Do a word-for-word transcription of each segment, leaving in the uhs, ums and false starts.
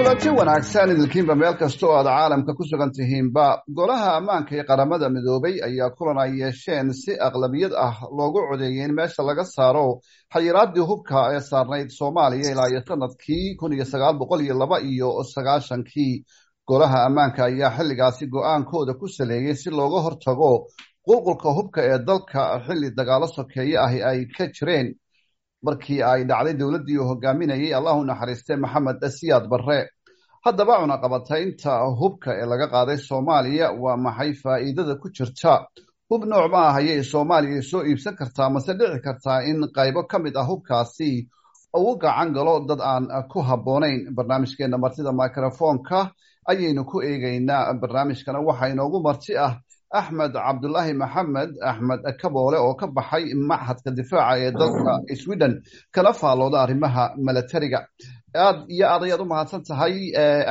Kulanti wanaagsan idilkiinba meel kasta oo aad caalamka ku sugan tihiinba. Golaha Ammaanka ee Qaramada Midoobay ayaa kulan ay yeesheen si aqlabiyad ah loogu codeeyay in meesha laga saaro xayiraadii hubka ee saarnayd Soomaaliya ilaa iyo sanadkii kun iyo sagaal boqol iyo laba iyo sagaashankii. Golaha Ammaanka ayaa xilligaasi go-aankooda ku saleeyey si looga hortago qulqulka hubka ee dalka, xilli dagaalo sokeeye ahi ay ka jireen markii ay dhacday dowladdii uu hogaaminayay, Allahu naxariistay, Maxamed Siyaad Barre. Haddaba, cunaqabataynta hubka ee laga qaaday Soomaaliya, waa maxay faa'iidada ku jirta? Hub nooc ma ah ayay Soomaaliya soo iibsan kartaa? Mase dhici kartaa in qaybo ka mid ah hubkaasi uu gacan galo dad aan ku habboonayn? Barnaamijkeena Martida Microfoonka ayaynu ku eegeynaa. Barnaamijkana waxaa inoogu marti ah Axmed Cabdulaahi Maxamed, Axmed Kaboole, oo ka baxay Machadka Difaaca ee dalka Sweden, kana faallooda arrimaha milatariga. Aad iyo aad ayaad u mahadsan tahay,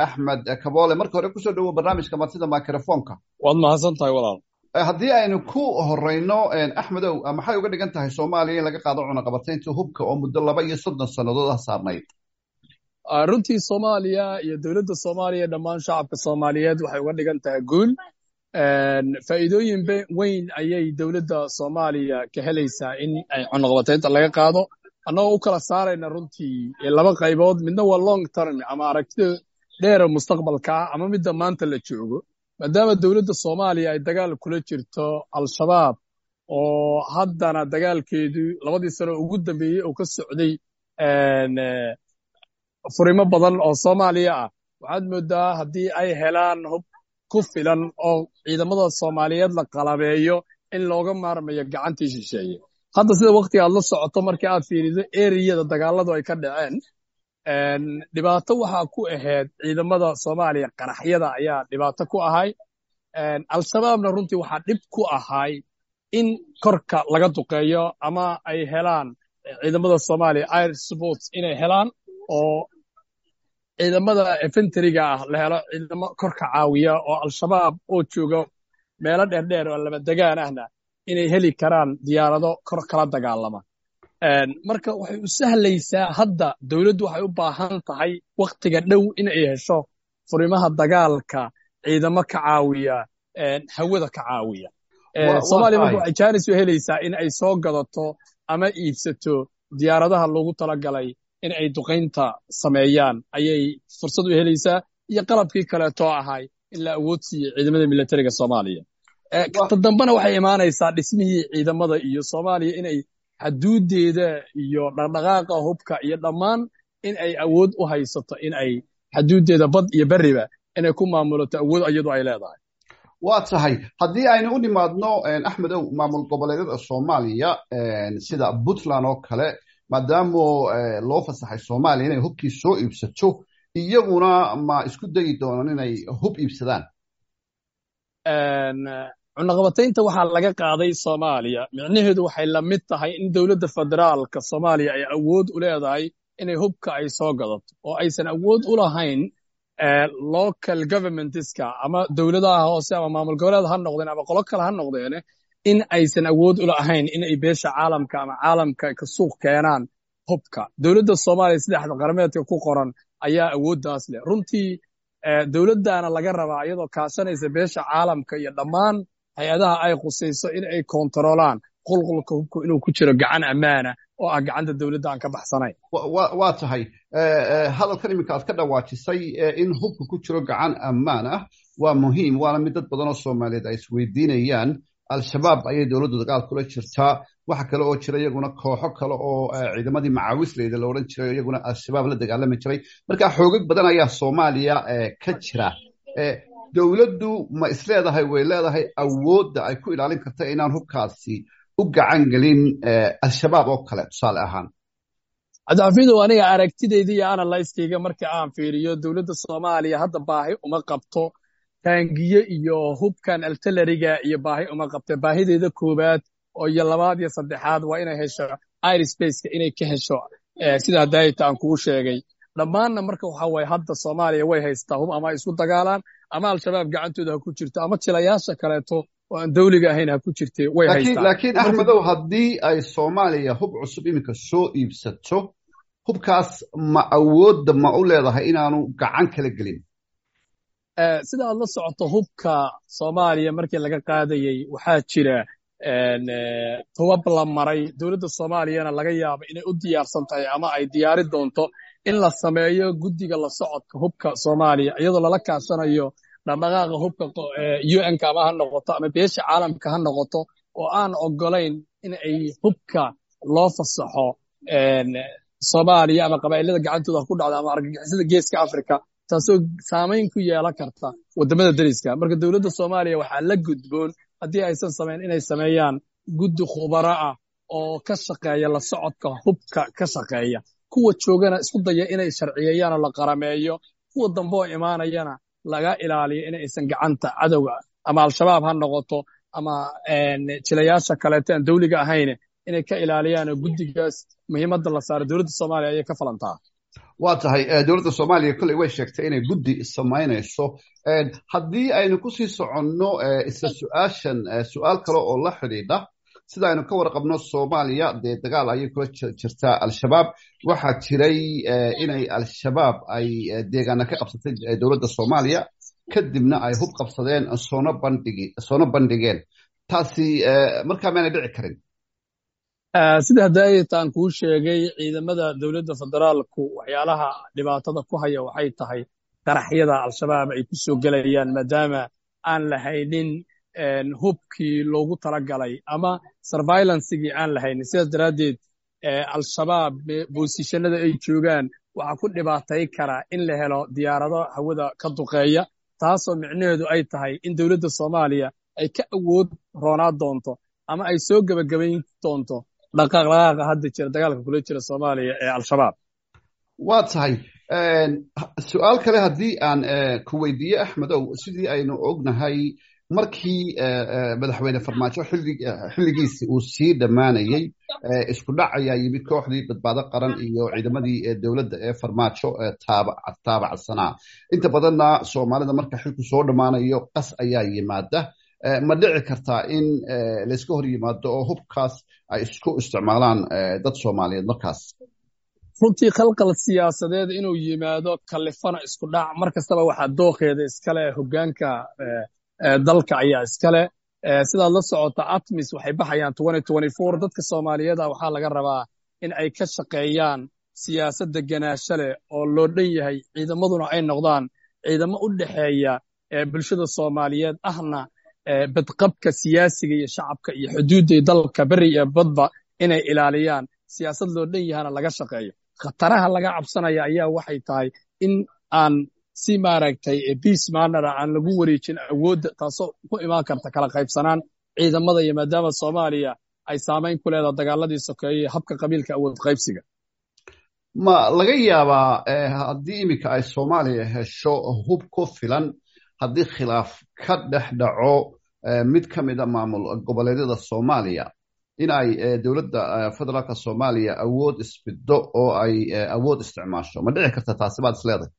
Axmed Kaboole. Marka hore kusoo dhawo barnaamijka Martida Microfoonka. Waad mahadsan tahay, walaal. Haddii aynu ku horeyno, Axmedow, maxay uga dhigan tahay Soomaaliya in laga qaado cunaqabataynta hubka oo muddo laba iyo soddon sannadood ah saarnayd? Runtii Soomaaliya iyo dowladda Soomaaliya, dhammaan shacabka Soomaaliyeed, waxay uga dhigan tahay guul. Faa'iidooyin weyn ayay dowladda Soomaaliya ka helaysaa in ay cunaqabataynta laga qaado, annagoo u kala saarayna runtii laba qaybood. Midna waa long term ama aragtida dheera mustaqbalka ah, ama midda maanta la joogo, maadaama dowladda Soomaaliya ay dagaal kula jirto Al-Shabaab, oo haddana dagaalkeedu labadii sano ugu dambeeyey oo ka socday furimo badan oo Soomaaliya ah. Waxaad moodaa haddii ay helaan hub ku filan oo ciidamada Soomaaliyeed la qalabeeyo in looga maarmayo gacantii shisheeye. Hadda sida waktiga aad la socoto, markii aad fiiriso eriyada dagaaladu ay ka dhaceen, dhibaato waxaa ku ahayd ciidamada Soomaaliya, qaraxyada ayaa dhibaato ku ahay. Al-Shabaabna runtii waxaa dhib ku ahay in korka laga duqeeyo ama ay helaan ciidamada Soomaaliya air support inay helaan, oo ciidamada infantry-ga ah la helo ciidamo korka caawiya, oo Al-Shabaab oo jooga meelo dheerdheer oo lama degaan ahna inay heli karaan diyaarado kor kala dagaalama. Marka waxay u sahlaysaa, hadda dowladdu waxay u baahan tahay wakhtiga dhow in ay hesho furimaha dagaalka ciidamo ka caawiya, hawada ka caawiya. Soomaaliya marka waxay jaanis u helaysaa in ay soo gadato ama iibsato diyaaradaha loogu talagalay in ay duqaynta sameeyaan ayay fursad u helaysaa, iyo qalabkii kaleetoo ahay in la awood siiyo ciidamada militariga Soomaaliya. Ta dambena waxay imaanaysaa dhismihii ciidamada iyo Soomaaliya inay xaduudeeda iyo dhaqdhaqaaqa hubka iyo dhammaan in ay awood u haysato in ay xaduudeeda bad iyo berriba inay ku maamulato, awood iyadu ay leedahay. Waa tahay. Haddii aynu u nimaadno, Axmedow, maamul goboleedyada Soomaaliya sida Puntland oo kale, maadaama loo fasaxay Soomaaliya inay hubkii soo iibsato, iyaguna ma isku dayi doonaan inay hub iibsadaan? Cunaqabataynta waxaa laga qaaday Soomaaliya micnaheedu waxay la mid tahay in dowladda federaalka Soomaaliya ay awood u leedahay inay hubka ay soo gadato, oo aysan awood u lahayn local governments-ka ama dowladaha hoose ama maamul goboleed ha noqdeen ama qolo kale ha noqdeene, in aysan awood u lahayn in ay beesha caalamka ama caalamka ka suuq keenaan hubka. Dowladda Soomaaliya sida qarameedka ku qoran ayaa awooddaas leh. Runtii dowladdaana laga rabaa, iyadoo kaashanaysa beesha caalamka iyo dhammaan hay-adaha ay khusayso, in ay kontarolaan qulqulka hubku inuu ku jiro gacan ammaana oo ah gacanta dowladda aan ka baxsanayn. Waa tahay. Hadalkan iminka aad ka dhawaajisay in hubka ku jiro gacan ammaan ah waa muhiim, waana mid dad badan oo Soomaaliyeed ay isweydiinayaan. Al-Shabaab ayay dowladdu dagaal kula jirtaa. Waxa kale oo jira iyaguna kooxo kale oo ciidamadii macaawisleyda la odhan jiray, iyaguna Al-Shabaab la dagaalami jiray. Marka xoogag badan ayaa Soomaaliya ka jira. Dowladdu ma isleedahay way leedahay awoodda ay ku ilaalin karta inaan hubkaasi u gacan gelin Al-Shabaab oo kale, tusaale ahaan? Cabdixafiidow, aniga aragtidayda iyo analysis-kayga marka aan fiiriyo, dowladda Soomaaliya hadda baahi uma qabto taangiye iyo hubkan artillery-ga iyo baahi uma qabto. Baahideeda koowaad oo iyo labaad iyo saddexaad waa inay hesho airspace-ka, inay ka hesho sidaa daayita aan kugu sheegay dhammaanna. Marka waxa waaye, hadda Soomaaliya way haystaa hub, ama ay isku dagaalaan ama Al-Shabaab gacantooda ha ku jirto ama jilayaasha kaleeto oo aan dawliga ahayn ha ku jirte, way haystaa. Laakiin, Axmedow, haddii ay Soomaaliya hub cusub iminka soo iibsato, Hubkaas ma awoodda ma u leedahay inaanu gacan kala gelin? Sida aad la socoto, hubka Soomaaliya markii laga qaadayey waxaa jira tobab la maray. Dowladda Soomaaliyana laga yaabo inay u diyaarsan tahay ama ay diyaari doonto in la sameeyo guddiga la socodka hubka Soomaaliya, iyadoo lala kaashanayo dhaqdhaqaaqa hubka U N-ka ama ha noqoto ama beesha caalamka ha noqoto, oo aan ogolayn in ay hubka loo fasaxo Soomaaliya ama qabaa'ilada gacantooda ku dhacda ama argagixisada Geeska Africa, taasoo saamayn ku yeelan karta waddamada deriska. Marka dowladda Soomaaliya waxaa la gudboon, haddii aysan samayn, inay sameeyaan guddi khubaro ah oo ka shaqeeya la socodka hubka ka shaqeeya, kuwa joogana isku daya inay sharciyeeyaan oo la qarameeyo, kuwa dambe oo imaanayana laga ilaaliyo in aysan gacanta cadowga ama Al-Shabaab ha noqoto ama jilayaasha kaleeto aan dawliga ahayn inay ka ilaaliyaan, oo guddigaas muhiimadda la saaro dowladda Soomaaliya ayay ka falantaa. Waa tahay. Dowladda Soomaaliya kolley way sheegtay inay guddi samaynayso. Haddii aynu kusii soconno isla su-aashan, su-aal kale oo la xidhiidha, sida aynu ka warqabno, Soomaaliya dee dagaal ayay kula jirtaa Al-Shabaab. Waxaa jiray inay Al-Shabaab ay deegaana ka qabsatay dowladda Soomaaliya, kadibna ay hub qabsadeen, soona bandhigi soona bandhigeen. Taasi markaa maanay dhici karin? Sida hadaataan kuu sheegay, ciidamada dowladda federaalku waxyaalaha dhibaatada ku haya waxay tahay qaraxyada Al-Shabaab ay ku soo gelayaan, maadaama aan lahaynin hubkii loogu talagalay ama surveillancegii aan lahaynin. Sidaas daraaddeed Al-Shabaab boosishanada ay joogaan waxaa ku dhibaatay karaa in la helo diyaarado hawada ka duqeeya, taasoo micnaheedu ay tahay in dowladda Soomaaliya ay ka awood roonaa doonto ama ay soo gebagabayn doonto dhaqaaqdhaqaaqa hadda jira dagaalka kula jira Soomaaliya ee Al-Shabaab. Waa tahay. Su-aal kale haddii aan ku weydiiye, Axmedow, sidii aynu ognahay, markii madaxweyne Farmaajo xilligiisi uu sii dhammaanayey, isku dhac ayaa yimid kooxdii Badbaado Qaran iyo ciidamadii dowladda ee Farmaajo taabacsanaa. Inta badanna Soomaalida marka xilku soo dhammaanayo qas ayaa yimaada. Ma dhici kartaa in layska hor yimaado oo hubkaas ay isku isticmaalaan dad Soomaaliyeed markaas? Runtii khalqal siyaasadeed inuu yimaado kalifana isku dhac mar kastaba waxaa dooqeeda iskale hoggaanka dalka ayaa iskale. Sidaad la socota, ATMIS waxay baxayaan. Dadka Soomaaliyeed ah waxaa laga rabaa in ay ka shaqeeyaan siyaasad deganaasho leh oo loo dhan yahay, ciidamaduna ay noqdaan ciidamo u dhexeeya bulshada Soomaaliyeed ahna badqabka siyaasiga iyo shacabka iyo xuduudda dalka beri iyo badba inay ilaaliyaan, siyaasad loo dhan yahana laga shaqeeyo. Khataraha laga cabsanaya ayaa waxay tahay in aan si maaragtay peace manner aan lagu wareejin awoodda, taasoo ku imaan karta kala qaybsanaan ciidamada, iyo maadaama Soomaaliya ay saamayn ku leedahay dagaaladii sokeeye, habka qabiilka, awood qaybsiga. Ma laga yaabaa, haddii iminka ay Soomaaliya hesho hub ku filan, haddii khilaaf ka dhex dhaco mid ka mida maamul goboleedyada Soomaaliya, in ay dowladda federaalka Soomaaliya awood isbiddo oo ay awood isticmaasho? Ma dhici karta taasi baad is leedahay?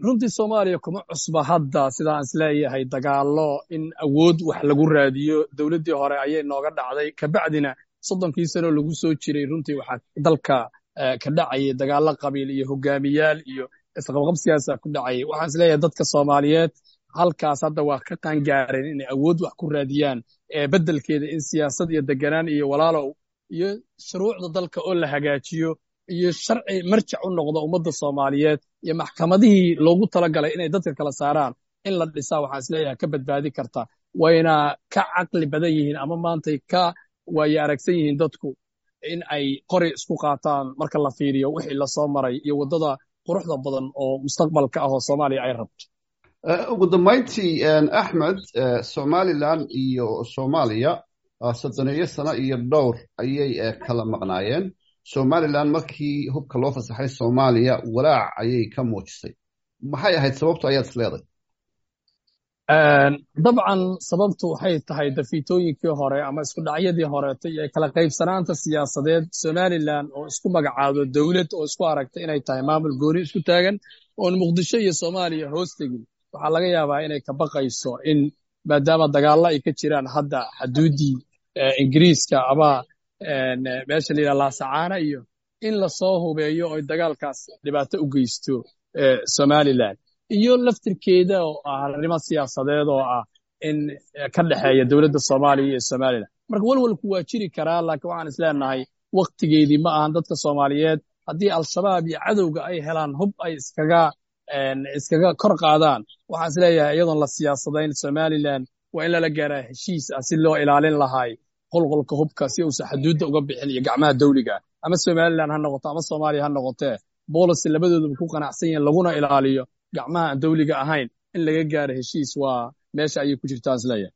Runtii Soomaaliya kuma cusba hadda, sidaan isleeyahay, dagaallo in awood wax lagu raadiyo. Dowladdii hore ayay nooga dhacday, kabacdina soddonkii sano lagu soo jiray runtii waxaa dalka ka dhacayay dagaallo qabiil iyo hogaamiyaal iyo isqabqabsigaasa ku dhacayay. Waxaan isleeyahay dadka Soomaaliyeed halkaas hadda waa ka qaangaareen inay awood wax ku raadiyaan, beddelkeeda in siyaasad iyo deganaan iyo walaalow iyo shuruucda dalka oo la hagaajiyo iyo sharci marjac u noqda ummadda Soomaaliyeed iyo maxkamadihii loogu talagalay inay dadka kala saaraan in la dhisaa, waxaan isleeyahay ka badbaadi karta. Wayna ka caqli badan yihiin ama maantay ka waaye aragsan yihiin dadku in ay qori isku qaataan, marka la fiiriyo wixii lasoo maray iyo waddada quruxda badan oo mustaqbalka ah oo Soomaaliya ay rabto. Ugu dambayntii, Axmed, Somaliland iyo Soomaaliya soddoneeyo sano iyo dhowr ayay kala maqnaayeen. Somaliland markii hubka loo fasaxay Soomaaliya walaac ayay ka muujisay. Maxay ahayd sababtu ayaad is leedahay? Dabcan sababtu waxay tahay dafiitooyinkii hore ama isku dhacyadii horeeto iyo kala qaybsanaanta siyaasadeed. Somaliland oo isku magacaado dowlad oo isku aragta inay tahay maamul gooni isku taagan oon Muqdisho iyo Soomaaliya hoos tegin, waxaa laga yaabaa inay ka baqayso in maadaama dagaallo ay ka jiraan hadda xaduuddii Ingiriiska ama meesha la yidhaha Laasacaana iyo In lasoo hubeeyo oy dagaalkaas dhibaato u geysto Somalilan iyo laftirkeeda oo ah arrimo siyaasadeed oo ah in ka dhexeeya dowladda Soomaaliya iyo Somalilan. Marka walwalku waa jiri karaa, laakiin waxaan isleenahay waktigeedii ma ahan. Dadka Soomaaliyeed haddii Al-Shabaab iyo cadowga ay helaan hub ay iskaga iskaga kor qaadaan, waxaan isleeyahay iyadoon la siyaasadayn Somalilan waa in lala gaaraa heshiis ah si loo ilaalin lahay qolqolka hubka, si uusan xaduudda uga bixin iyo gacmaha dawliga, ama Somalilan ha noqoto ama Soomaaliya ha noqotee, policy labadooduba ku qanacsan yihiin laguna ilaaliyo gacmaha aan dawliga ahayn in laga gaaro heshiis waa meesha ayay ku jirtaan isleeyahay.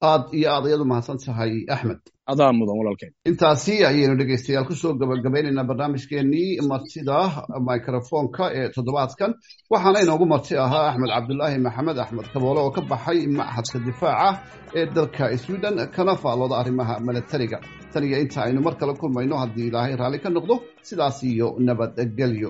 Aad iyo aad ayaad u mahadsan tahay, Axmed. Adaa mudan, walaalkeen. Intaasi ayaynu dhegeystayaal kusoo gabagabaynaynaa barnaamijkeenii martida microfonka ee toddobaadkan. Waxaana inoogu marti ahaa Axmed Cabdulaahi Maxamed, Axmed Kaboole, oo ka baxay Machadka Difaaca ee dalka Sweden, kana faallooda arrimaha milatariga. Tan iyo inta aynu mar kale kulmayno, haddii Ilaahay raalli ka noqdo, sidaas iyo nabadgelyo.